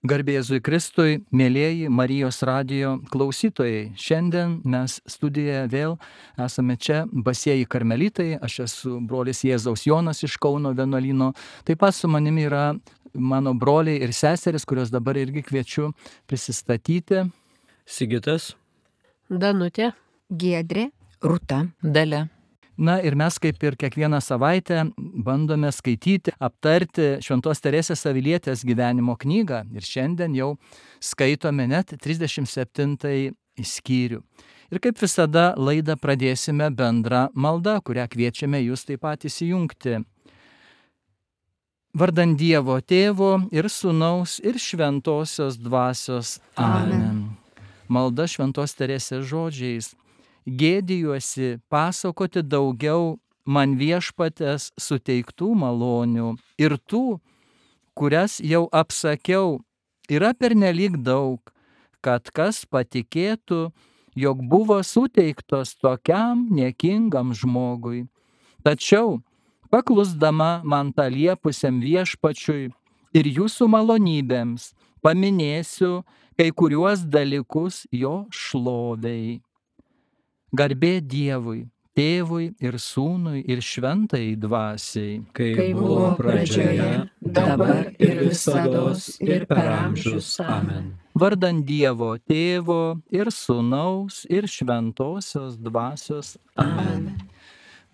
Garbė Jėzui Kristui, mėlieji Marijos radijo klausytojai. Šiandien mes studijoje vėl esame čia, Basieji karmelitai. Aš esu brolis Jėzaus Jonas iš Kauno vienuolyno. Taip pat su manimi yra mano broliai ir seseris, kuriuos dabar irgi kviečiu prisistatyti. Sigitas, Danutė, Giedrė, Rūta, Dalia. Na ir mes kaip ir kiekvieną savaitę bandome skaityti, aptarti Šventos Teresės Avilietės gyvenimo knygą ir šiandien jau skaitome net 37 skyrių. Ir kaip visada laidą pradėsime bendrą maldą, kurią kviečiame jūs taip pat įsijungti. Vardan Dievo Tėvo ir Sūnaus ir Šventosios Dvasios. Amen. Malda Šventos Teresės žodžiais. Gėdijuosi pasakoti daugiau man Viešpaties suteiktų malonių ir tų, kurias jau apsakiau, yra pernelyg daug, kad kas patikėtų, jog buvo suteiktos tokiam niekingam žmogui. Tačiau, paklusdama man tą liepusiam Viešpačiui ir jūsų malonybėms, paminėsiu kai kuriuos dalykus jo šlovei. Garbė Dievui, Tėvui ir Sūnui ir Šventajai Dvasiai, kai buvo pradžioje, dabar ir visados ir per amžius. Amen. Vardan Dievo Tėvo ir Sūnaus ir Šventosios Dvasios. Amen.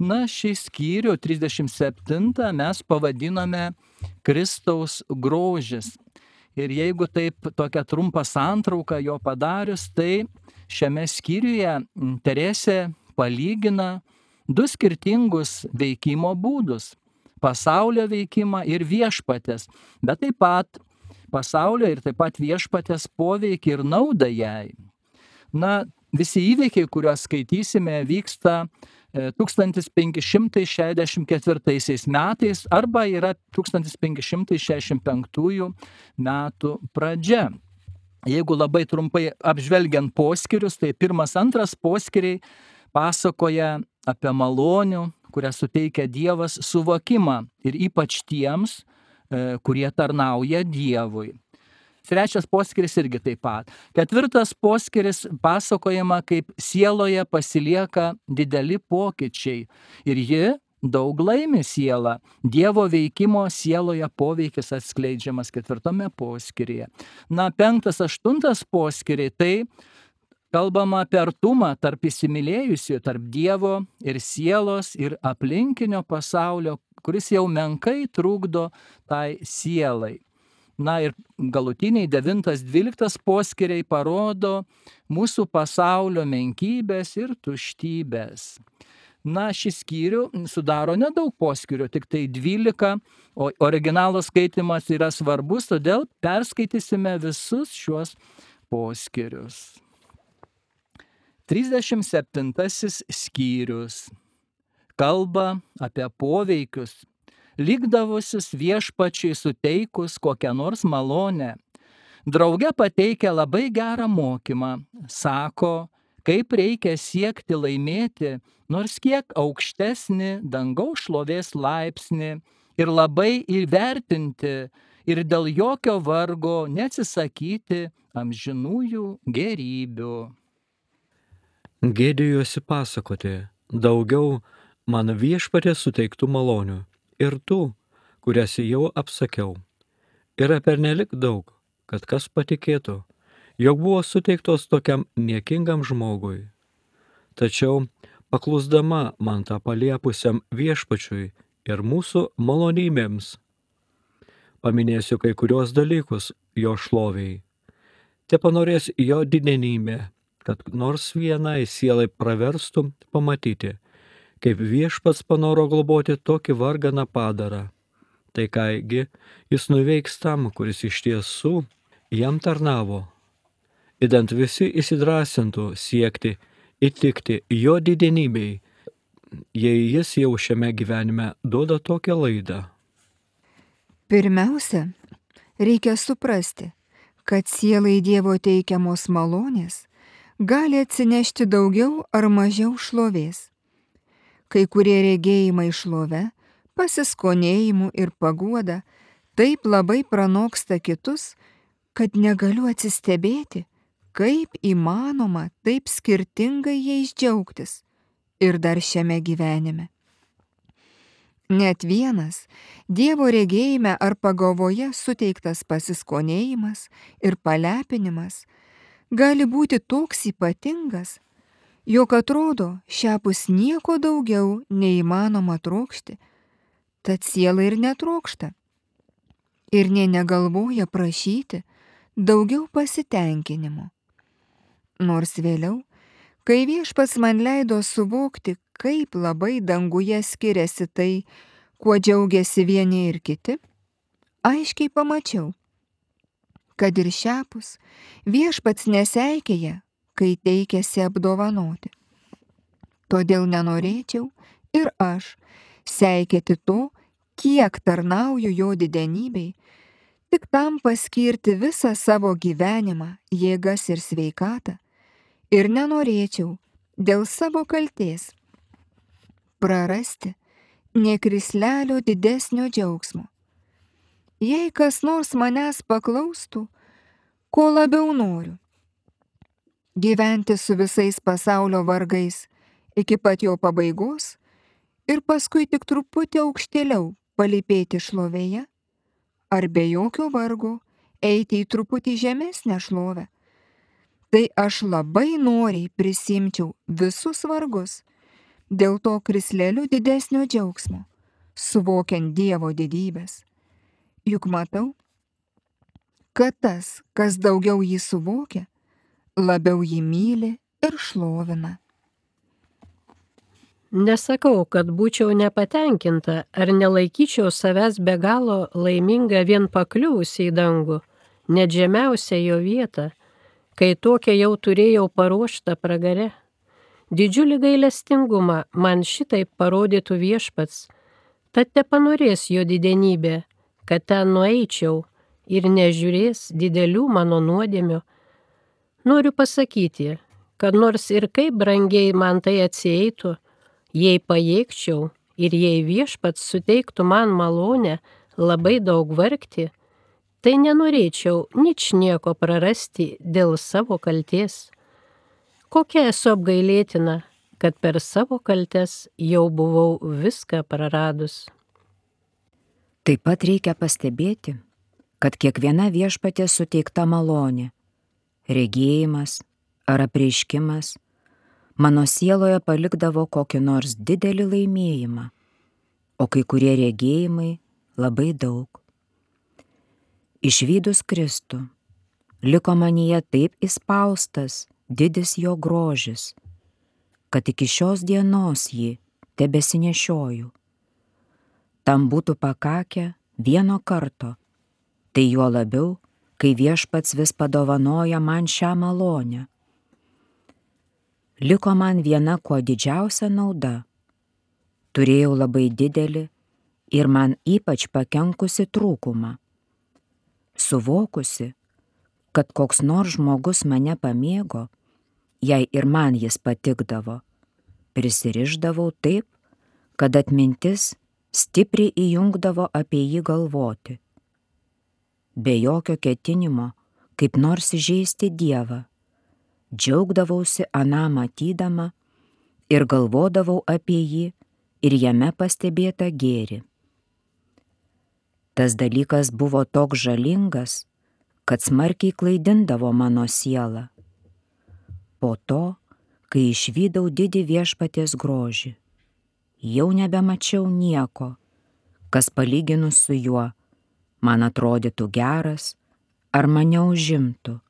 Na, šį skyrių 37 mes pavadinome Kristaus grožis. Ir jeigu taip tokią trumpą santrauką jo padarius, tai šiame skyriuje Teresė palygina du skirtingus veikimo būdus - pasaulio veikimą ir Viešpatės, bet taip pat pasaulio ir taip pat Viešpatės poveikį ir naudą jai. Na, visi įvykiai, kuriuos skaitysime, vyksta 1564 metais arba yra 1565 metų pradžia. Jeigu labai trumpai apžvelgiant poskyrius, tai pirmas, antras poskyriai pasakoja apie malonių, kurią suteikia Dievas suvokimą ir ypač tiems, kurie tarnauja Dievui. Trečias poskyris irgi taip pat. Ketvirtas poskyris pasakojama, kaip sieloje pasilieka dideli pokyčiai ir ji daug laimi sielą. Dievo veikimo sieloje poveikis atskleidžiamas ketvirtame poskyryje. Na, penktas, aštuntas poskyriai, tai kalbama apie artumą tarp įsimylėjusių, tarp Dievo ir sielos ir aplinkinio pasaulio, kuris jau menkai trukdo tai sielai. Na ir galutiniai 9-12 poskyriai parodo mūsų pasaulio menkybės ir tuštybės. Na, šį skyrių sudaro nedaug poskyrių, tik tai 12, o originalo skaitimas yra svarbus, todėl perskaitysime visus šiuos poskyrius. 37 skyrius kalba apie poveikius, likdavusius Viešpačiui suteikus kokią nors malonę. Drauge pateikia labai gerą mokymą, sako, kaip reikia siekti laimėti nors kiek aukštesnį dangaus šlovės laipsnį ir labai įvertinti ir dėl jokio vargo neatsisakyti amžinųjų gėrybių. Gėdijuosi pasakoti daugiau man Viešpaties suteiktų malonių ir tų, kurias jau apsakiau. Yra pernelyg daug, kad kas patikėtų, jog buvo suteiktos tokiam niekingam žmogui. Tačiau, paklusdama man tą paliepusiam Viešpačiui ir mūsų malonybėms, paminėsiu kai kurios dalykus jo šloviai. Te panorės jo didenybė, kad nors vienai sielai praverstų pamatyti, kaip Viešpats panoro globoti tokį varganą padarą. Tai kaigi jis nuveiks tam, kuris iš tiesų jam tarnavo. Idant visi įsidrąsintų siekti įtikti jo didenybei, jei jis jau šiame gyvenime duoda tokią laidą. Pirmiausia, reikia suprasti, kad sielai Dievo teikiamos malonės gali atsinešti daugiau ar mažiau šlovės. Kai kurie regėjimai šlove, pasiskonėjimu ir paguoda taip labai pranoksta kitus, kad negaliu atsistebėti, kaip įmanoma taip skirtingai jais džiaugtis ir dar šiame gyvenime. Net vienas Dievo regėjime ar pagalvoje suteiktas pasiskonėjimas ir palepinimas gali būti toks ypatingas, jog atrodo šiapus nieko daugiau neįmanoma trokšti, tad siela ir netrokšta. Ir nė negalvoja prašyti daugiau pasitenkinimo. Nors vėliau, kai Viešpats man leido suvokti, kaip labai danguje skiriasi tai, kuo džiaugiasi vieni ir kiti, aiškiai pamačiau, kad ir šiapus Viešpats neseikėja, kai teikėsi apdovanoti. Todėl nenorėčiau ir aš seikėti to, kiek tarnauju jo didenybei, tik tam paskirti visą savo gyvenimą, jėgas ir sveikatą, ir nenorėčiau dėl savo kaltės prarasti nė krislelio didesnio džiaugsmo. Jei kas nors manęs paklaustų, ko labiau noriu – gyventi su visais pasaulio vargais iki pat jo pabaigos ir paskui tik truputį aukštėliau palypėti šlovėje, ar be jokio vargo eiti į truputį žemesnę šlovę, tai aš labai noriai prisimčiau visus vargus dėl to krisleliu didesnio džiaugsmo, suvokiant Dievo didybės. Juk matau, kad tas, kas daugiau jį suvokia, labiau jį myli ir šlovina. Nesakau, kad būčiau nepatenkinta ar nelaikyčiau savęs be galo laiminga vien pakliuvusi į dangų, net žemiausią jo vietą, kai tokią jau turėjau paruoštą pragare. Didžiulį gailestingumą man šitaip parodytų Viešpats, tad tepanorės jo didenybė, kad ten nueičiau ir nežiūrės didelių mano nuodėmių. Noriu pasakyti, kad nors ir kaip brangiai man tai atsieitų, jei pajėgčiau ir jei Viešpats suteiktų man malonę labai daug vargti, tai nenorėčiau ničnieko prarasti dėl savo kaltės. Kokia esu apgailėtina, kad per savo kaltes jau buvau viską praradus. Taip pat reikia pastebėti, kad kiekviena Viešpaties suteikta malonė, regėjimas ar apreiškimas mano sieloje palikdavo kokį nors didelį laimėjimą, o kai kurie regėjimai labai daug. Išvydus Kristų, liko manyje taip įspaustas didis jo grožis, kad iki šios dienos jį tebesinešioju. Tam būtų pakakę vieno karto, tai juo labiau, kai Viešpats vis padovanoja man šią malonę. Liko man viena kuo didžiausia nauda. Turėjau labai didelį ir man ypač pakenkusi trūkumą. Suvokusi, kad koks nors žmogus mane pamėgo, jei ir man jis patikdavo, prisirišdavau taip, kad atmintis stipriai įjungdavo apie jį galvoti. Be jokio ketinimo, kaip nors įžeisti Dievą, džiaugdavausi aną matydama ir galvodavau apie jį ir jame pastebėtą gėrį. Tas dalykas buvo toks žalingas, kad smarkiai klaidindavo mano sielą. Po to, kai išvydau didį Viešpaties grožį, jau nebemačiau nieko, kas palyginus su juo man atrodytų geras ar mane užimtų.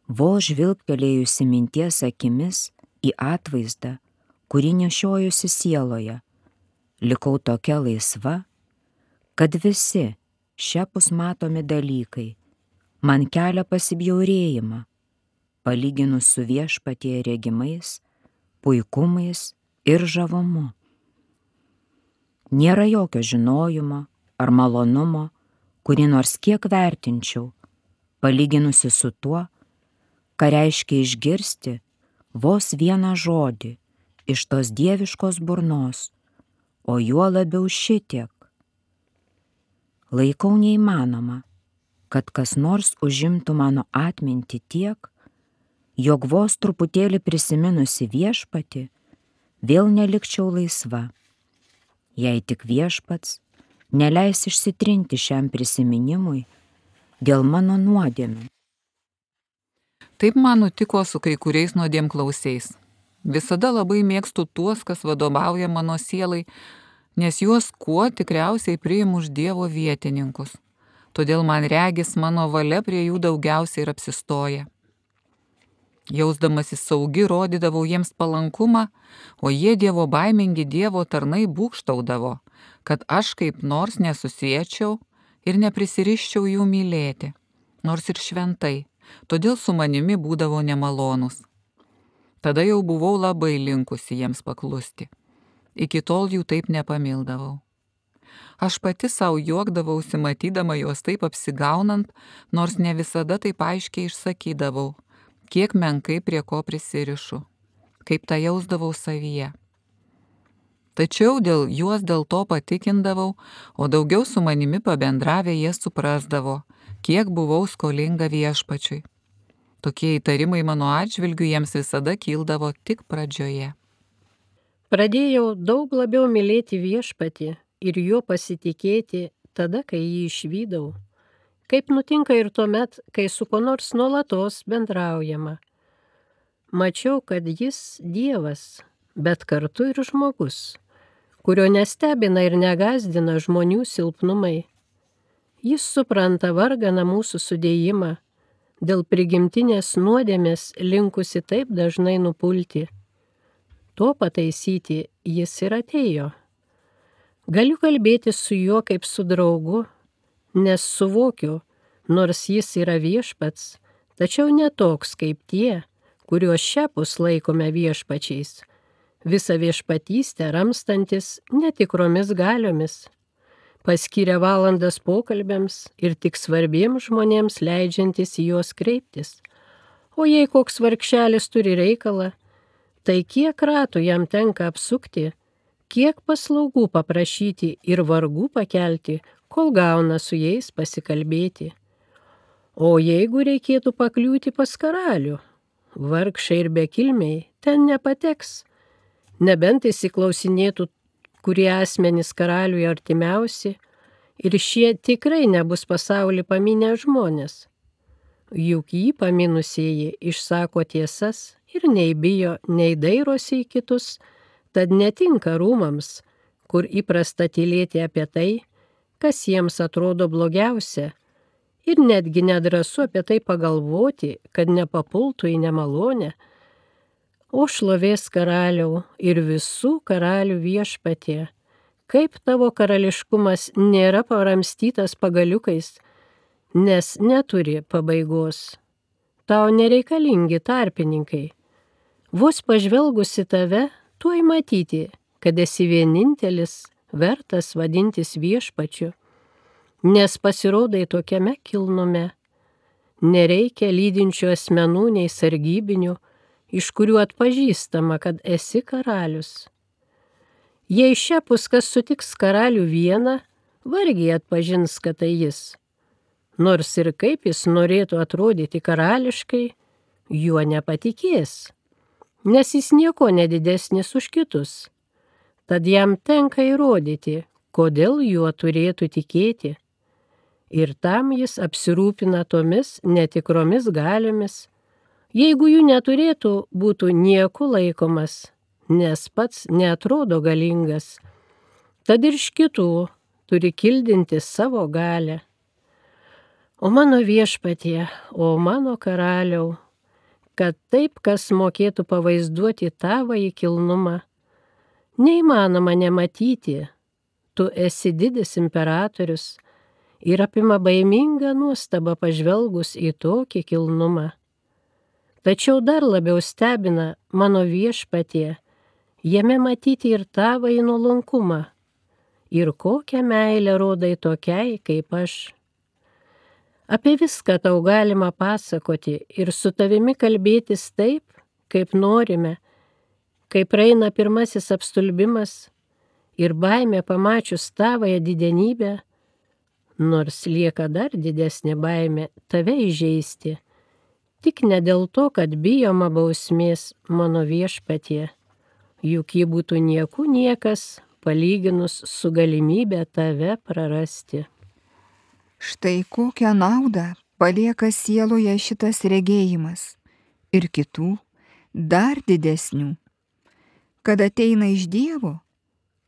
Vos žvilgtelėjusi minties akimis į atvaizdą, kurį nešiojusi sieloje, likau tokia laisva, kad visi šiapus matomi dalykai man kelia pasibjaurėjimą, palyginus su Viešpatie regimais, puikumais ir žavumu. Nėra jokio žinojimo ar malonumo, kurį nors kiek vertinčiau, palyginusi su tuo, ką reiškia išgirsti vos vieną žodį iš tos dieviškos burnos, o juo labiau šitiek. Laikau neįmanoma, kad kas nors užimtų mano atmintį tiek, jog vos truputėlį prisiminusi viešpatį, vėl nelikčiau laisva, jei tik viešpats neleis išsitrinti šiam prisiminimui dėl mano nuodėmių. Taip man nutiko su kai kuriais nuodėmklausiais. Visada labai mėgstu tuos, kas vadovauja mano sielai, nes juos kuo tikriausiai priimu už Dievo vietininkus. Todėl man regis mano valia prie jų daugiausiai ir apsistoja. Jausdamasi saugi, rodydavau jiems palankumą, o jie Dievo baimingi Dievo tarnai būgštaudavo, kad aš kaip nors nesusiečiau ir neprisiriščiau jų mylėti, nors ir šventai, todėl su manimi būdavo nemalonus. Tada jau buvau labai linkusi jiems paklusti. Iki tol jų taip nepamildavau. Aš pati savo juokdavausi, matydama juos taip apsigaunant, nors ne visada taip aiškiai išsakydavau, kiek menkai prie ko prisirišu, kaip tą jausdavau savyje. Tačiau juos dėl to patikindavau, o daugiau su manimi pabendravę jie suprasdavo, kiek buvau skolinga viešpačiui. Tokie įtarimai mano atžvilgiu jiems visada kildavo tik pradžioje. Pradėjau daug labiau mylėti viešpatį ir juo pasitikėti tada, kai jį išvydau. Kaip nutinka ir tuomet, kai su kuo nors nuolatos bendraujama. Mačiau, kad jis Dievas, bet kartu ir žmogus, kurio nestebina ir negazdina žmonių silpnumai. Jis supranta varganą mūsų sudėjimą, dėl prigimtinės nuodėmės linkusi taip dažnai nupulti. To pataisyti jis ir atėjo. Galiu kalbėti su juo kaip su draugu, nes suvokiu, nors jis yra viešpats, tačiau ne toks kaip tie, kuriuos šiapus laikome viešpačiais, visą viešpatystę ramstantis netikromis galiomis, paskyrė valandas pokalbiams ir tik svarbiems žmonėms leidžiantis į juos kreiptis. O jei koks vargšelis turi reikalą, tai kiek ratų jam tenka apsukti, kiek paslaugų paprašyti ir vargų pakelti, kol gauna su jais pasikalbėti. O jeigu reikėtų pakliūti pas karalių, vargšai ir bekilmiai ten nepateks, nebent įsiklausinėtų, kurie asmenys karaliui artimiausi, ir šie tikrai nebus pasaulį paminę žmonės. Juk jį paminusieji išsako tiesas ir nei bijo, nei dairosi į kitus, tad netinka rūmams, kur įprasta tylėti apie tai, kas jiems atrodo blogiausia, ir netgi nedrąsu apie tai pagalvoti, kad nepapultų į nemalonę. O šlovės karaliau ir visų karalių viešpatie, kaip tavo karališkumas nėra paramstytas pagaliukais, nes neturi pabaigos. Tau nereikalingi tarpininkai. Vos pažvelgusi tave, tuoj matyti, kad esi vienintelis, vertas vadintis viešpačiu, nes pasirodai tokiame kilnume. Nereikia lydinčių asmenų nei sargybinių, iš kurių atpažįstama, kad esi karalius. Jei šiapus kas sutiks karalių vieną, vargiai atpažins, kad tai jis. Nors ir kaip jis norėtų atrodyti karališkai, juo nepatikės, nes jis nieko nedidesnis už kitus. Tad jam tenka įrodyti, kodėl juo turėtų tikėti. Ir tam jis apsirūpina tomis netikromis galiomis. Jeigu jų neturėtų, būtų nieku laikomas, nes pats neatrodo galingas. Tad ir iš kitų turi kildinti savo galią. O mano viešpatie, o mano karaliau, kad taip, kas mokėtų pavaizduoti tavąjį kilnumą, neįmanoma nematyti, tu esi didis imperatorius ir apima baiminga nuostaba pažvelgus į tokį kilnumą. Tačiau dar labiau stebina mano viešpatie, jame matyti ir tavąjį nuolankumą, ir kokią meilę rodai tokiai kaip aš. Apie viską tau galima pasakoti ir su tavimi kalbėtis taip, kaip norime, kai praeina pirmasis apstulbimas ir baimė pamačius tavąją didenybę, nors lieka dar didesnė baimė tave įžeisti. Tik ne dėl to, kad bijoma bausmės mano Viešpatie, juk ji būtų niekų niekas, palyginus su galimybė tave prarasti. Štai kokią naudą palieka sieloje šitas regėjimas ir kitų dar didesnių, kad ateina iš Dievo,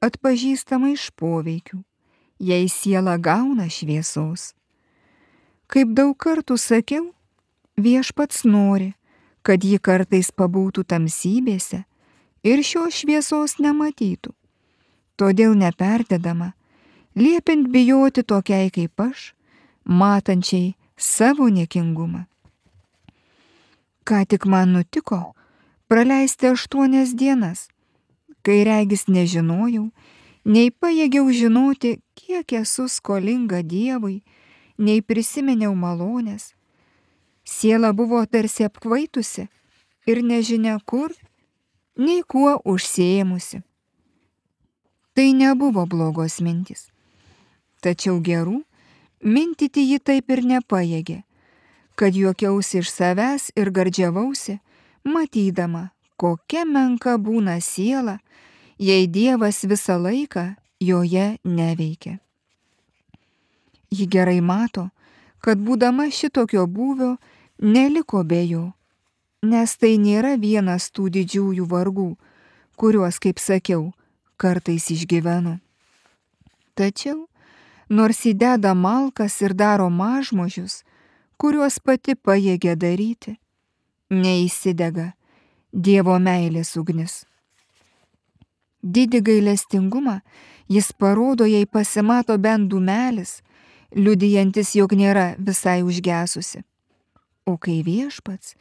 atpažįstama iš poveikių, jei siela gauna šviesos. Kaip daug kartų sakiau, Viešpats nori, kad ji kartais pabūtų tamsybėse ir šios šviesos nematytų. Todėl neperdedama, liepiant bijoti tokiai kaip aš, matančiai savo niekingumą. Ką tik man nutiko praleisti 8 dienas, kai regis nežinojau, nei pajėgiau žinoti, kiek esu skolinga Dievui, nei prisiminiau malonės. Siela buvo tarsi apkvaitusi ir nežinia kur, nei kuo užsiėmusi. Tai nebuvo blogos mintys. Tačiau gerų mintyti ji taip ir nepajėgė, kad juokiausi iš savęs ir gardžiavausi, matydama, kokia menka būna siela, jei Dievas visą laiką joje neveikia. Ji gerai mato, kad būdama šitokio būvio neliko be jo, nes tai nėra vienas tų didžiųjų vargų, kuriuos, kaip sakiau, kartais išgyvenu. Tačiau, nors įdeda malkas ir daro mažmožius, kuriuos pati pajėgia daryti, neįsidega Dievo meilės ugnis. Didį gailestingumą jis parodo, jei pasimato bent dūmelis, liudijantis, jog nėra visai užgesusi. O kai Viešpats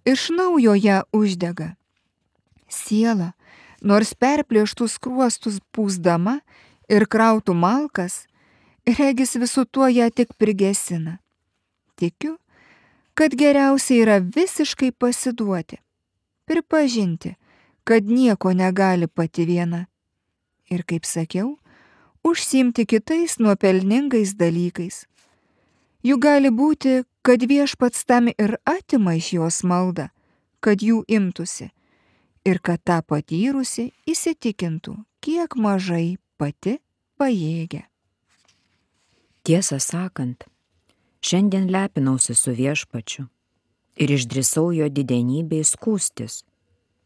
iš naujo ją uždega, siela, nors perplėštų skruostus pūsdama ir krautų malkas, regis visu tuo ją tik prigesina. Tikiu, kad geriausia yra visiškai pasiduoti, pripažinti, kad nieko negali pati viena. Ir, kaip sakiau, užsiimti kitais nuopelningais dalykais. Juk gali būti, kad Viešpats tam ir atima iš jos maldą, kad jų imtųsi, ir kad tą patyrusi įsitikintų, kiek mažai pati pajėgia. Tiesą sakant, šiandien lepinausi su Viešpačiu ir išdrįsau jo didenybei skųstis,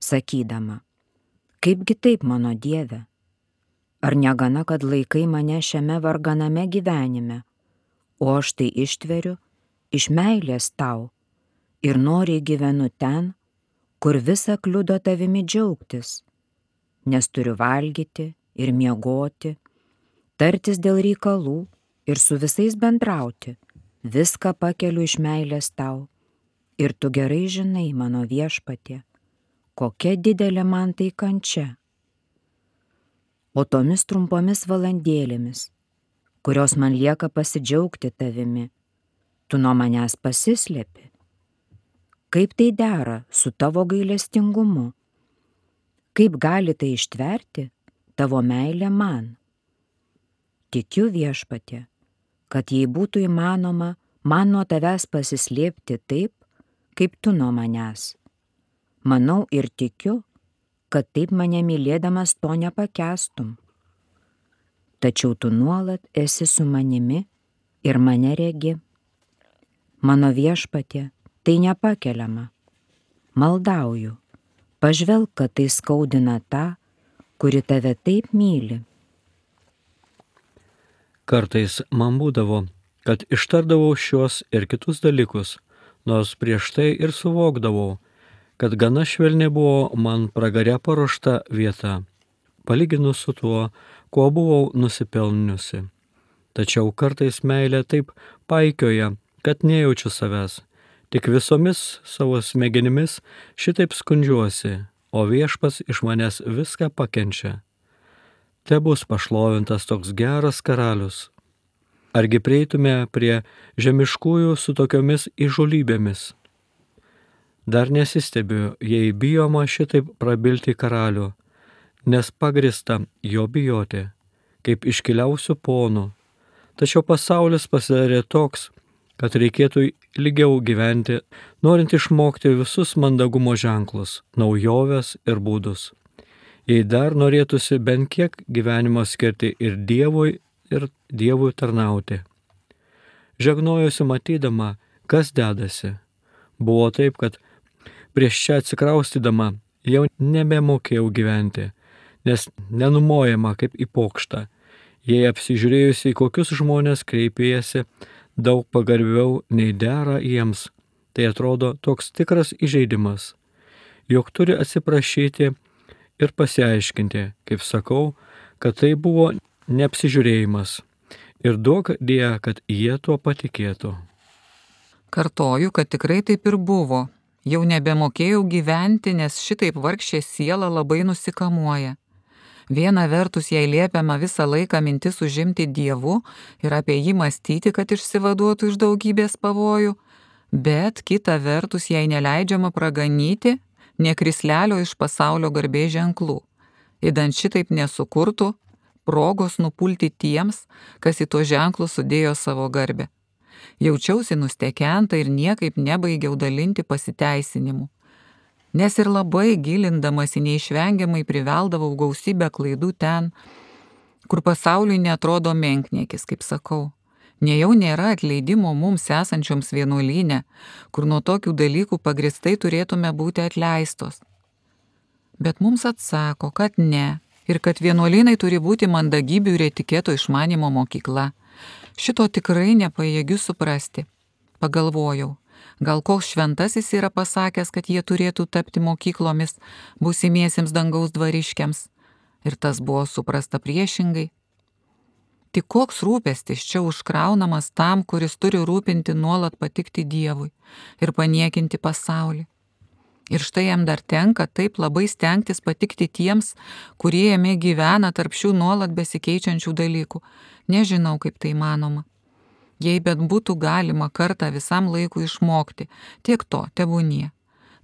sakydama, kaipgi taip, mano Dieve, ar negana, kad laikai mane šiame varganame gyvenime, o aš tai ištveriu iš meilės tau ir noriai gyvenu ten, kur visa kliudo tavimi džiaugtis, nes turiu valgyti ir miegoti, tartis dėl reikalų ir su visais bendrauti, viską pakeliu iš meilės tau. Ir tu gerai žinai, mano Viešpatie, kokia didelė man tai kančia. O tomis trumpomis valandėlėmis, kurios man lieka pasidžiaugti tavimi, tu nuo manęs pasislėpi. Kaip tai dera su tavo gailestingumu? Kaip gali tai ištverti tavo meilė man? Tikiu, Viešpatie, kad jei būtų įmanoma man nuo tavęs pasislėpti taip, kaip tu nuo manęs. Manau ir tikiu, kad taip mane mylėdamas to nepakęstum. Tačiau tu nuolat esi su manimi ir mane regi. Mano Viešpatie, tai nepakeliama. Maldauju, pažvelk, kad tai skaudina tą, kuri tave taip myli. Kartais man būdavo, kad ištardavau šios ir kitus dalykus, nors prieš tai ir suvokdavau, kad gana švelniai buvo man pragare paruošta vieta, palyginus su tuo, kuo buvau nusipelniusi. Tačiau kartais meilė taip paikioja, kad nejaučiu savęs, tik visomis savo smegenimis šitaip skundžiuosi, o Viešpats iš manęs viską pakenčia. Te bus pašlovintas toks geras karalius. Argi prieitume prie žemiškųjų su tokiomis įžūlybėmis? Dar nesistebiu, jei bijoma šitaip prabilti karalių, nes pagrįsta jo bijoti, kaip iškiliausių ponų, Tačiau pasaulis pasidarė toks, kad reikėtų ilgiau gyventi, norint išmokti visus mandagumo ženklus, naujoves ir būdus. Jei dar norėtųsi bent kiek gyvenimo skirti ir Dievui tarnauti. Žegnojusi matydama, kas dedasi. Buvo taip, kad prieš čia atsikraustydama jau nebemokėjau gyventi, nes nenumojama kaip į pokštą. Jei apsižiūrėjusi, į kokius žmonės kreipėjasi, daug pagarbiau nei dera jiems, tai atrodo toks tikras įžeidimas, jog turi atsiprašyti ir pasiaiškinti, kaip sakau, kad tai buvo neapsižiūrėjimas ir duok Dieve, kad jie tuo patikėtų. Kartoju, kad tikrai taip ir buvo. Jau nebemokėjau gyventi, nes šitaip vargšė siela labai nusikamuoja. Viena vertus jai liepiama visą laiką mintis užimti Dievu ir apie jį mąstyti, kad išsivaduotų iš daugybės pavojų, bet kita vertus jai neleidžiama praganyti nė krislelio iš pasaulio garbės ženklų, idant šitaip nesukurtų progos nupulti tiems, kas į tuos ženklus sudėjo savo garbę. Jaučiausi nustekenta ir niekaip nebaigiau dalinti pasiteisinimų, nes ir labai gilindamasi neišvengiamai priveldavau gausybę klaidų ten, kur pasauliui netrodo menkniekis, kaip sakau. Nejau nėra atleidimo mums esančioms vienuolyne, kur nuo tokių dalykų pagristai turėtume būti atleistos. Bet mums atsako, kad ne, ir kad vienuolynai turi būti mandagybių ir etiketo išmanimo mokykla. Šito tikrai nepajėgiu suprasti. Pagalvojau, gal koks šventasis yra pasakęs, kad jie turėtų tapti mokyklomis būsimiesiems dangaus dvariškiams. Ir tas buvo suprasta priešingai. Tik koks rūpestis čia užkraunamas tam, kuris turi rūpinti nuolat patikti Dievui ir paniekinti pasaulį. Ir štai jam dar tenka taip labai stengtis patikti tiems, kurie jame gyvena tarp šių nuolat besikeičiančių dalykų. Nežinau, kaip tai manoma. Jei bet būtų galima kartą visam laikui išmokti, tiek to tebūnie.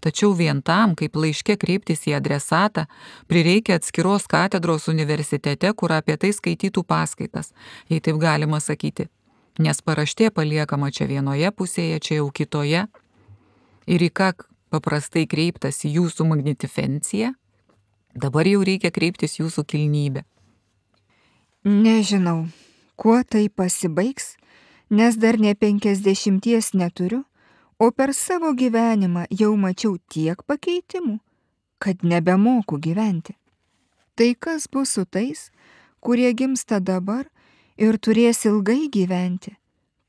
Tačiau vien tam, kaip laiške kreiptis į adresatą, prireikia atskiros katedros universitete, kur apie tai skaitytų paskaitas, jei taip galima sakyti. Nes paraštė paliekama čia vienoje pusėje, čia jau kitoje. Ir į ką paprastai kreiptas jūsų magnificencija, dabar jau reikia kreiptis jūsų kilnybė. Nežinau, kuo tai pasibaigs, nes dar ne 50 neturiu, o per savo gyvenimą jau mačiau tiek pakeitimų, kad nebemoku gyventi. Tai kas bus su tais, kurie gimsta dabar ir turės ilgai gyventi?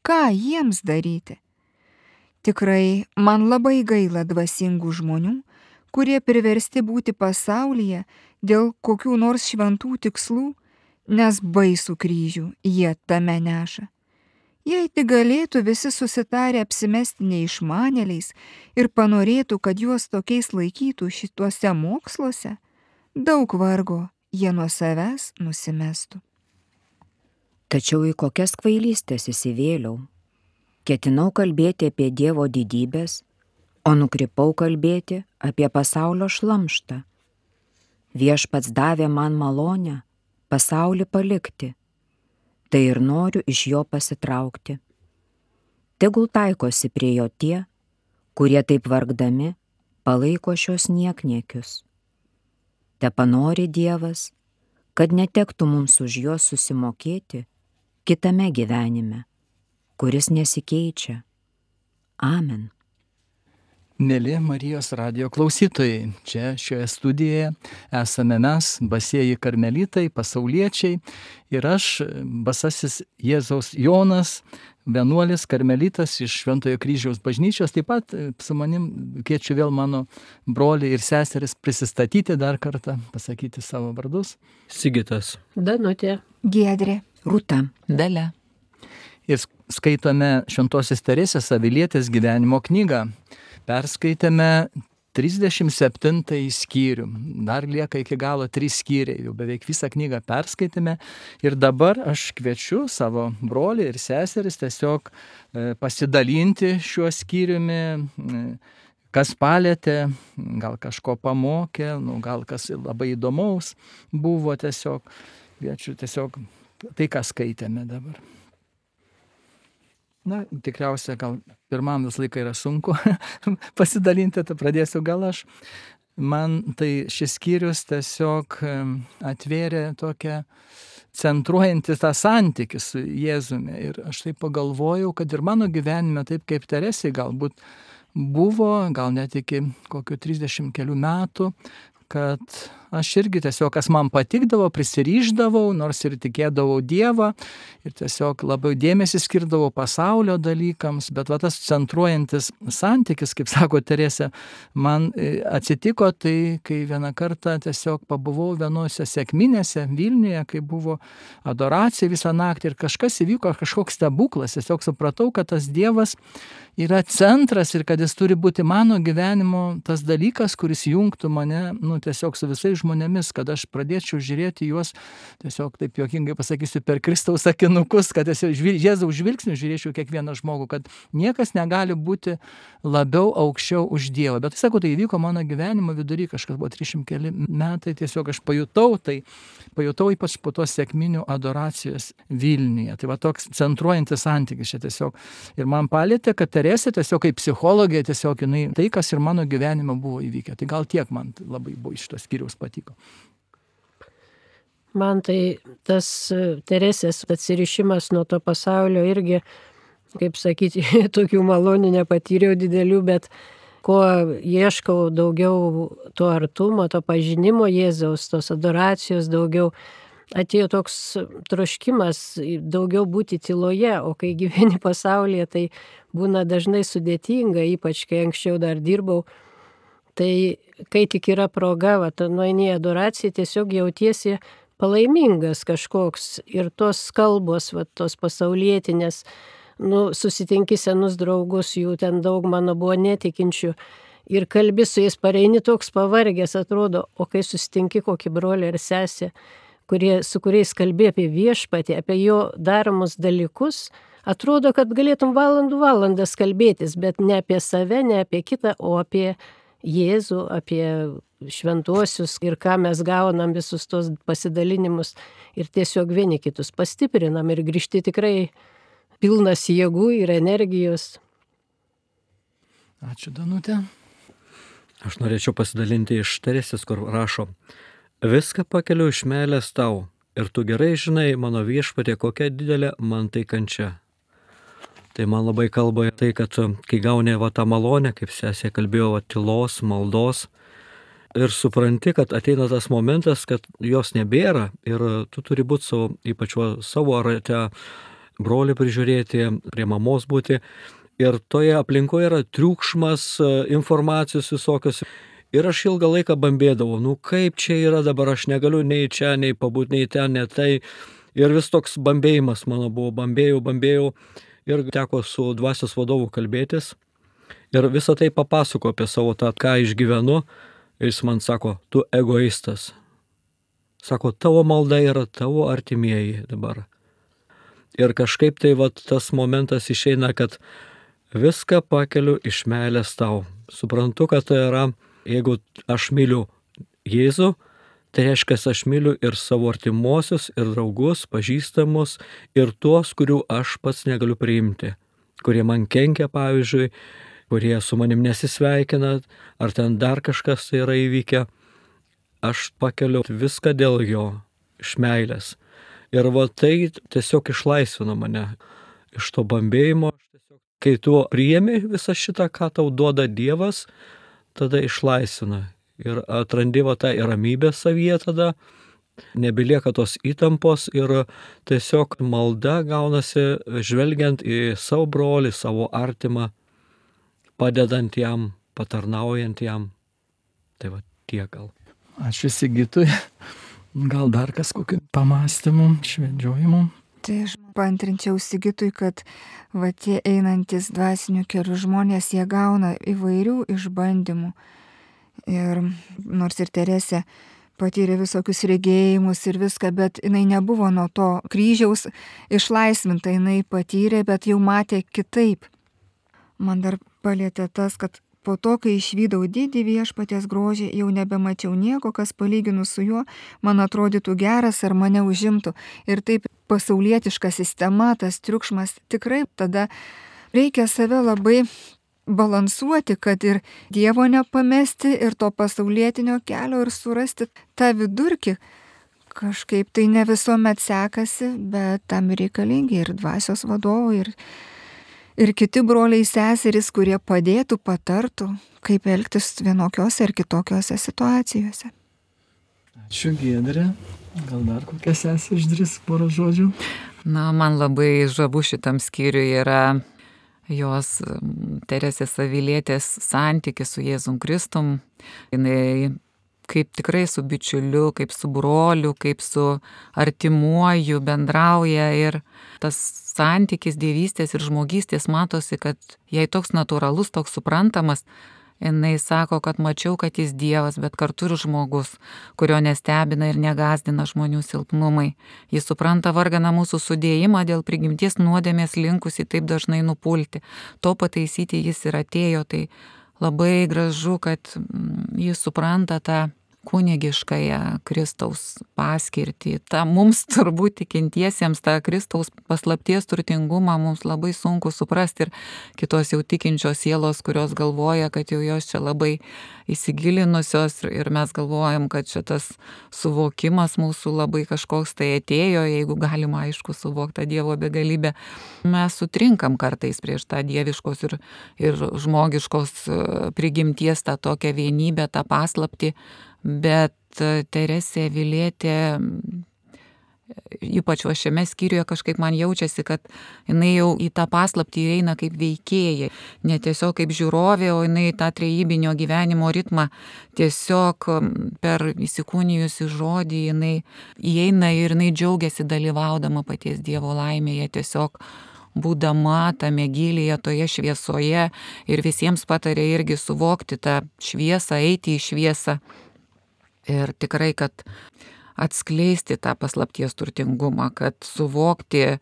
Ką jiems daryti? Tikrai man labai gaila dvasingų žmonių, kurie priversti būti pasaulyje dėl kokių nors šventų tikslų, nes baisų kryžių jie tame neša. Jei tik galėtų visi susitarę apsimesti neišmanėliais ir panorėtų, kad juos tokiais laikytų šituose moksluose, daug vargo jie nuo savęs nusimestų. Tačiau į kokias kvailystės įsivėliau. Ketinau kalbėti apie Dievo didybės, o nukrypau kalbėti apie pasaulio šlamštą. Viešpats davė man malonę pasaulį palikti, tai ir noriu iš jo pasitraukti. Tegul taikosi prie jo tie, kurie taip vargdami palaiko šios niekniekius. Tepanori Dievas, kad netektų mums už juos susimokėti kitame gyvenime, kuris nesikeičia. Amen. Mėly Marijos radijo klausytojai, čia šioje studijoje esame mes, basieji karmelitai, pasauliečiai ir aš, basasis Jėzaus Jonas, vienuolis karmelitas iš Šventojo kryžiaus bažnyčios. Taip pat su manim kviečiu vėl mano brolį ir seseris prisistatyti dar kartą, pasakyti savo vardus. Sigitas. Danutė. Giedrė. Rūta. Dalia. Ir skaitome Šventosios Teresės Avilietės gyvenimo knygą. Perskaitėme 37 skyrių. Dar lieka iki galo 3 skyriai. Jau beveik visą knygą perskaitėme. Ir dabar aš kviečiu savo brolį ir seseris tiesiog pasidalinti šiuo skyriumi, kas palėtė, gal kažko pamokė, gal kas labai įdomaus buvo tiesiog. Kviečiu tiesiog tai, ką skaitėme dabar. Na, tikriausia, gal pirmam visą laiką yra sunku pasidalinti, tai pradėsiu gal aš. Man tai šis skyrius tiesiog atvėrė tokią centruojantį tą santykį su Jėzumi. Ir aš taip pagalvojau, kad ir mano gyvenime, taip kaip Teresei galbūt buvo, gal net iki kokių 30 kelių metų, kad aš irgi tiesiog, kas man patikdavo, prisiryždavau, nors ir tikėdavau Dievą ir tiesiog labai dėmesį skirdavau pasaulio dalykams, bet va tas centruojantis santykis, kaip sako Teresė, man atsitiko tai, kai vieną kartą tiesiog pabuvau vienose sekminėse Vilniuje, kai buvo adoracija visą naktį ir kažkas įvyko, kažkoks stebuklas, tiesiog supratau, kad tas Dievas yra centras ir kad jis turi būti mano gyvenimo tas dalykas, kuris jungtų mane, tiesiog su visais žmonėmis, kad aš pradėčiau žiūrėti juos, tiesiog taip juokingai pasakysiu, per Kristaus akinukus, kad Jėzaus žvilgsniu žiūrėčiau kiekvieną žmogų, kad niekas negali būti labiau aukščiau už Dievą. Bet sakau, tai įvyko mano gyvenimo vidury, kažkas buvo 300 keli metai, tiesiog aš pajutau ypač po tos sekminių adoracijos Vilniuje. Tai va toks centruojantis santykis čia tiesiog. Ir man palėtė, kad Teresė tiesiog kaip psichologija, tiesiog jinai tai, kas ir mano gyvenime buvo įvykę. Tai gal tiek man labai buvo iš šitos skyriaus patiko. Man tai tas Teresės atsirišimas nuo to pasaulio irgi, kaip sakyti, tokių malonių nepatyriau didelių, bet ko ieškau daugiau to artumo, to pažinimo Jėzaus, tos adoracijos daugiau, atėjo toks troškimas daugiau būti tyloje, o kai gyveni pasaulyje, tai būna dažnai sudėtinga, ypač kai anksčiau dar dirbau. Tai kai tik yra proga, nueini į adoraciją, tiesiog jautiesi palaimingas kažkoks ir tos kalbos, tos pasaulietinės, susitinki senus draugus, jų ten daug mano buvo netikinčių ir kalbi su jais, pareini toks pavargęs atrodo, o kai susitinki kokį brolį ar sesę, su kuriais kalbi apie viešpatį, apie jo daromus dalykus, atrodo, kad galėtum valandas kalbėtis, bet ne apie save, ne apie kitą, o apie Jėzų, apie šventuosius ir ką mes gaunam visus tos pasidalinimus ir tiesiog vieni kitus pastiprinam ir grįžti tikrai pilnas jėgų ir energijos. Ačiū, Danutė. Aš norėčiau pasidalinti iš Teresės, kur rašo: viską pakeliu iš meilės tau ir tu gerai žinai, mano viešpatie, kokia didelė man tai kančia. Tai man labai kalba tai, kad kai gauni tą malonę, kaip sesė kalbėjo, tylos, maldos, ir supranti, kad ateina tas momentas, kad jos nebėra ir tu turi būti ypač savo rate, brolį prižiūrėti, prie mamos būti. Ir toje aplinkoje yra triukšmas, informacijos visokios. Ir aš ilgą laiką bambėdavau, kaip čia yra dabar, aš negaliu nei čia, nei pabūti, nei ten, nei tai. Ir vis toks bambėjimas mano buvo, bambėjau. Ir teko su dvasios vadovu kalbėtis. Ir visą tai papasako apie savo tą, ką išgyvenu. Ir jis man sako, tu egoistas. Sako, tavo malda yra tavo artimieji dabar. Ir kažkaip tai tas momentas išeina, kad viską pakeliu iš meilės tau. Suprantu, kad tai yra, jeigu aš myliu Jėzų, tai reiškia, aš myliu ir savo artimuosius, ir draugus, pažįstamus, ir tuos, kurių aš pats negaliu priimti, kurie man kenkia, pavyzdžiui, kurie su manim nesisveikina, ar ten dar kažkas tai yra įvykę. Aš pakeliu viską dėl jo, iš meilės. Ir tai tiesiog išlaisvino mane iš to bambėjimo. Kai tu priimi visą šitą, ką tau duoda Dievas, tada išlaisvina. Ir atrandi tą ramybę savyje tada, nebelieka tos įtampos ir tiesiog malda gaunasi žvelgiant į savo brolį, savo artimą, padedant jam, patarnaujant jam. Tai tiek gal. Ačiū Sigitui. Gal dar kas kokių pamastymų, švedžiojimų? Tai aš paantrinčiau Sigitui, kad tie einantis dvasinių kelių žmonės, jie gauna įvairių išbandymų. Ir nors ir Teresė patyrė visokius regėjimus ir viską, bet jinai nebuvo nuo to kryžiaus išlaisvinta, jinai patyrė, bet jau matė kitaip. Man dar palėtė tas, kad po to, kai išvydau didį viešpaties grožį, jau nebemačiau nieko, kas palyginus su juo man atrodytų geras ar mane užimtų. Ir taip pasaulietiška sistema, tas triukšmas, tikrai tada reikia save labai balansuoti, kad ir Dievo nepamesti, ir to pasaulietinio kelio, ir surasti tą vidurkį. Kažkaip tai ne visuomet sekasi, bet tam reikalingi ir dvasios vadovai, ir kiti broliai seserys, kurie padėtų, patartų, kaip elgtis vienokiose ir kitokiose situacijose. Ačiū, Giedrė. Gal dar kokia sesė išdrįs porą žodžių? Na, man labai žavu šitam skyriui yra jos Teresės Avilietės santykis su Jėzum Kristum. Jinai kaip tikrai su bičiuliu, kaip su broliu, kaip su artimuoju bendrauja ir tas santykis dievystės ir žmogystės matosi, kad jai toks natūralus, toks suprantamas. Jinai sako, kad mačiau, kad jis Dievas, bet kartu ir žmogus, kurio nestebina ir negazdina žmonių silpnumai. Jis supranta varganą mūsų sudėjimą dėl prigimties nuodėmės linkusi taip dažnai nupulti. To pataisyti jis ir atėjo, tai labai gražu, kad jis supranta tą kunigiškąją Kristaus paskirtį. Ta mums turbūt tikintiesiems tą Kristaus paslapties turtingumą mums labai sunku suprasti ir kitos jau tikinčios sielos, kurios galvoja, kad jau jos čia labai įsigilinusios ir mes galvojam, kad šitas suvokimas mūsų labai kažkoks tai atėjo, jeigu galima aišku suvokti tą Dievo begalybę. Mes sutrinkam kartais prieš tą dieviškos ir žmogiškos prigimties tą tokią vienybę, tą paslaptį. Bet Teresė Avilietė, ypač šiame skyriuje kažkaip man jaučiasi, kad jinai jau į tą paslaptį įeina kaip veikėja, ne tiesiog kaip žiūrovė, o jinai tą trejybinio gyvenimo ritmą tiesiog per įsikūnijusi žodį jinai įeina ir jinai džiaugiasi dalyvaudama paties Dievo laimėje, tiesiog būdama tame gylyje, toje šviesoje ir visiems patarė irgi suvokti tą šviesą, eiti į šviesą. Ir tikrai, kad atskleisti tą paslapties turtingumą, kad suvokti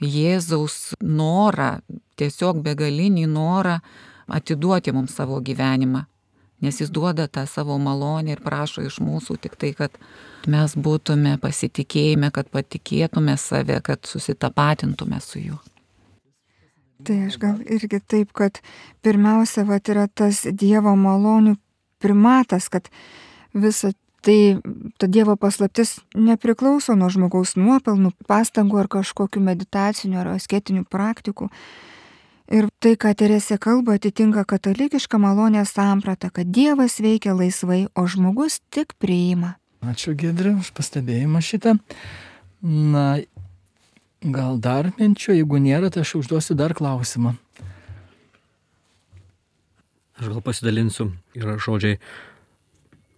Jėzaus norą, tiesiog begalinį norą atiduoti mums savo gyvenimą. Nes jis duoda tą savo malonę ir prašo iš mūsų tik tai, kad mes būtume pasitikėjime, kad patikėtume save, kad susitapatintume su juo. Tai aš gal irgi taip, kad pirmiausia, yra tas Dievo malonių primatas, kad visa tai ta Dievo paslaptis nepriklauso nuo žmogaus nuopelnų, pastangų ar kažkokių meditacinių ar asketinių praktikų. Ir tai, ką Teresė kalba, atitinka katalikišką malonės sampratą, kad Dievas veikia laisvai, o žmogus tik priima. Ačiū, Giedrė, už pastebėjimą šitą. Na, gal dar minčių, jeigu nėra, tai aš užduosiu dar klausimą. Aš gal pasidalinsiu, yra žodžiai,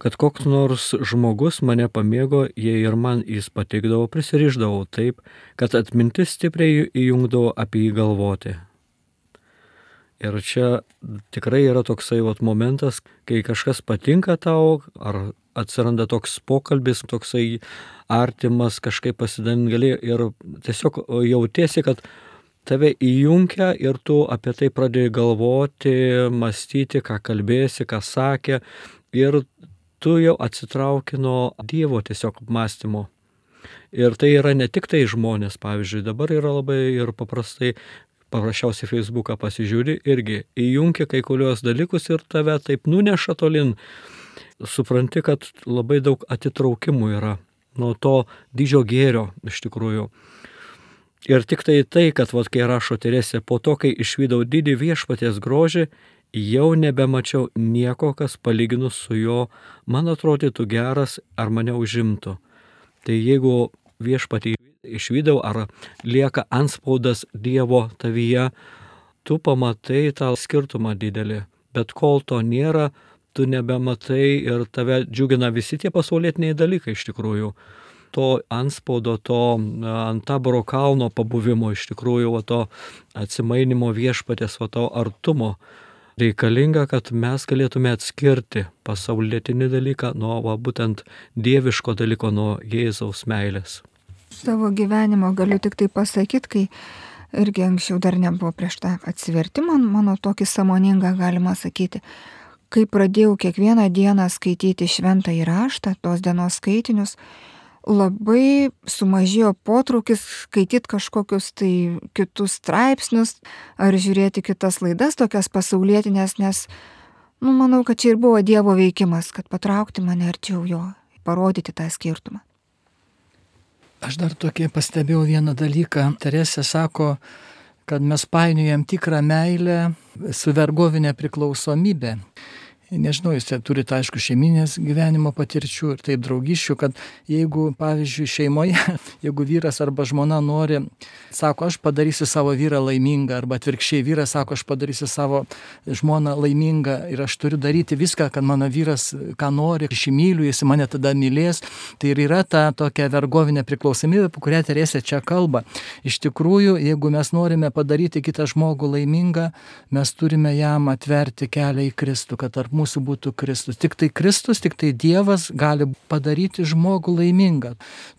kad koks nors žmogus mane pamėgo, jei ir man jis patikdavo, prisirišdavau taip, kad atmintis stipriai įjungdavo apie jį galvoti. Ir čia tikrai yra toksai momentas, kai kažkas patinka tau, ar atsiranda toks pokalbis, toksai artimas, kažkaip pasidalinti gali ir tiesiog jautiesi, kad tave įjungia ir tu apie tai pradėjai galvoti, mąstyti, ką kalbėsi, ką sakė ir tu jau atsitrauki nuo Dievo tiesiog mąstymo. Ir tai yra ne tik tai žmonės, pavyzdžiui, dabar yra labai ir paprasčiausiai Facebooką pasižiūri, irgi įjungia kai kurios dalykus ir tave taip nuneša tolin. Supranti, kad labai daug atitraukimų yra nuo to didžio gėrio iš tikrųjų. Ir tik tai, kad kai rašo Teresė, po to, kai išvydau didį viešpaties grožį, jau nebemačiau nieko, kas palyginus su jo man atrodytų geras ar mane užimtų. Tai jeigu viešpatį išvydau ar lieka antspaudas Dievo tavyje, tu pamatai tą skirtumą didelį. Bet kol to nėra, tu nebematai ir tave džiugina visi tie pasaulietiniai dalykai iš tikrųjų. To antspaudo, to ant Taboro kalno pabuvimo iš tikrųjų, to atsimainimo viešpatės, to artumo. Reikalinga, kad mes galėtume atskirti pasaulietinį dalyką nuo būtent dieviško dalyko, nuo Jėzaus meilės. Savo gyvenimo galiu tik tai pasakyti, kai irgi anksčiau dar nebuvo prieš tą atsivertimą, mano tokį sąmoningą galima sakyti, kai pradėjau kiekvieną dieną skaityti šventąjį raštą, tos dienos skaitinius, labai sumažėjo potraukis skaityti kažkokius tai kitus straipsnius ar žiūrėti kitas laidas, tokias pasaulietinės, nes, manau, kad čia ir buvo Dievo veikimas, kad patraukti mane arčiau jo, parodyti tą skirtumą. Aš dar tokį pastebėjau vieną dalyką. Teresė sako, kad mes painiojam tikrą meilę su vergovinė priklausomybė. Nežinau, jūs turite, aišku, šeiminės gyvenimo patirčių ir taip draugiščių, kad jeigu, pavyzdžiui, šeimoje, jeigu vyras arba žmona nori, sako, aš padarysiu savo vyrą laimingą, arba atvirkščiai vyras sako, aš padarysiu savo žmoną laimingą ir aš turiu daryti viską, kad mano vyras ką nori, aš jį myliu, jis mane tada mylės, tai ir yra ta tokia vergovinė priklausomybė, apie kurią Teresė čia kalba. Iš tikrųjų, jeigu mes norime padaryti kitą žmogų laimingą, mes turime jam atverti kelią į Kristų, kad tarp mūsų būtų Kristus. Tik tai Kristus, tik tai Dievas gali padaryti žmogų laimingą.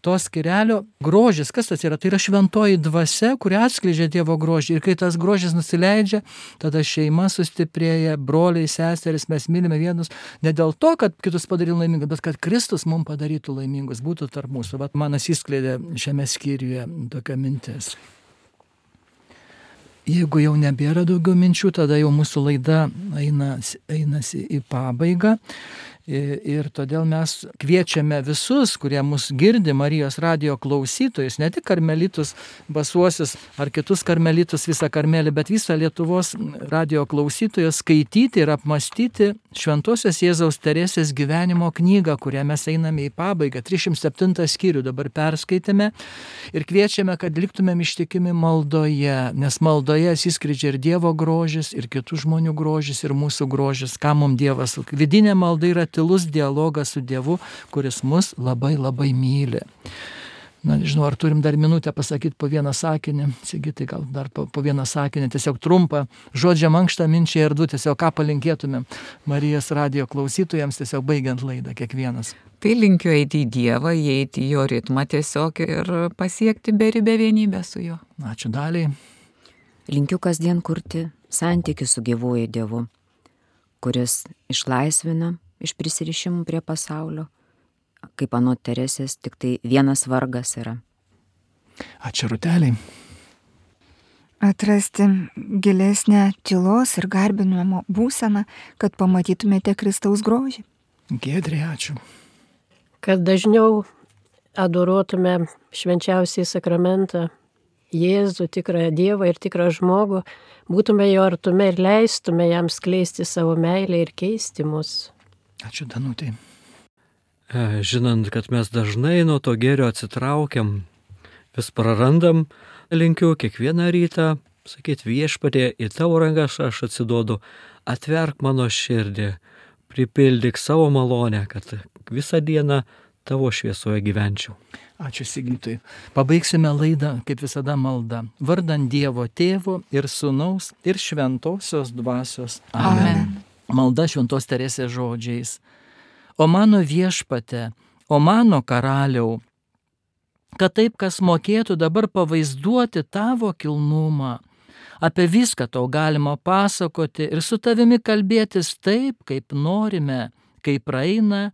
To skyrelio grožis, kas tas yra? Tai yra šventoji dvasia, kuri atskleidžia Dievo grožį. Ir kai tas grožis nusileidžia, tada šeima sustiprėja, broliai, seserys, mes mylime vienus ne dėl to, kad kitus padarytų laimingus, bet kad Kristus mums padarytų laimingus, būtų tarp mūsų. Vat man atsiskleidė šiame skyriuje tokia mintis. Jeigu jau nebėra daugiau minčių, tada jau mūsų laida einasi į pabaigą. Ir todėl mes kviečiame visus, kurie mus girdi, Marijos radijo klausytojus, ne tik karmelitus, basuosius ar kitus karmelitus, visą Karmelį, bet visą Lietuvos radijo klausytojus skaityti ir apmastyti Šventosios Jėzaus Teresės gyvenimo knygą, kurią mes einame į pabaigą. 307 skyrių dabar perskaitėme ir kviečiame, kad liktumėm ištikimi maldoje, nes maldoje atsiskleidžia ir Dievo grožis, ir kitų žmonių grožis, ir mūsų grožis, ką mums Dievas. Vidinė malda yra tylus dialogas su Dievu, kuris mus labai labai myli. Nežinau, ar turim dar minutę pasakyti po vieną sakinį. Sigitai, gal dar po vieną sakinį, tiesiog trumpą žodžią mankštą, minčiai ir du, tiesiog ką palinkėtumėm Marijos radijo klausytojams, tiesiog baigiant laidą kiekvienas. Tai linkiu eiti į Dievą, įeiti į jo ritmą tiesiog ir pasiekti beribę vienybę su juo. Ačiū Daliai. Linkiu kasdien kurti santykį su gyvuoju Dievu, kuris išlaisvina iš prisirišimų prie pasaulio. Kaip anot Teresės, tik tai vienas vargas yra. Ačiū Rūteliai. Atrasti gilesnę tylos ir garbinimo būseną, kad pamatytumėte Kristaus grožį. Giedrė, ačiū. Kad dažniau adoruotume švenčiausiai sakramentą Jėzų, tikrą Dievą ir tikrą žmogų, būtume jo artume ir leistume jam skleisti savo meilę ir keisti mus. Ačiū Danutei. Žinant, kad mes dažnai nuo to gėrio atsitraukiam, vis prarandam, linkiu kiekvieną rytą, sakyti Viešpatie, į tavo rankas aš atsiduodu, atverk mano širdį, pripildyk savo malonę, kad visą dieną tavo šviesoje gyvenčiau. Ačiū Sigitui. Pabaigsime laidą, kaip visada, malda. Vardant Dievo Tėvo ir Sūnaus ir Šventosios Dvasios. Amen. Malda Šventos Teresės žodžiais. O mano Viešpate, o mano Karaliau, kad taip, kas mokėtų dabar pavaizduoti tavo kilnumą, apie viską tau galima pasakoti ir su tavimi kalbėtis taip, kaip norime, kaip praeina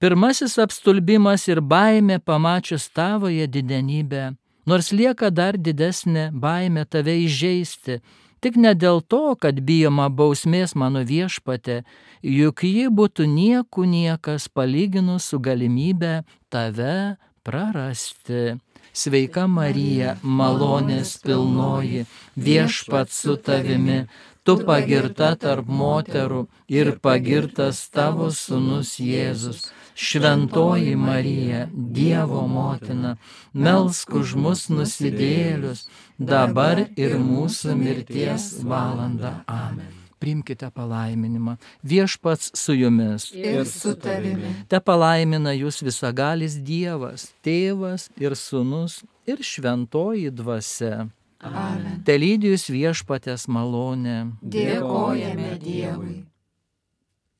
pirmasis apstulbimas ir baimė pamačius tavoje didenybę, nors lieka dar didesnė baimė tave įžeisti, tik ne dėl to, kad bijoma bausmės mano Viešpate, juk ji būtų niekas palyginus su galimybė tave prarasti. Sveika Marija, malonės pilnoji, Viešpats su tavimi, tu pagirta tarp moterų ir pagirtas tavo sūnus Jėzus. Šventoji Marija, Dievo motina, melsk už mus nusidėjėlius, dabar ir mūsų mirties valandą. Amen. Priimkite palaiminimą. Viešpats su jumis. Ir su tavimi. Te palaimina jūs visagalis Dievas, Tėvas ir Sūnus ir Šventoji Dvasia. Amen. Te lydi jūs Viešpaties malonė. Dėkojame Dievui.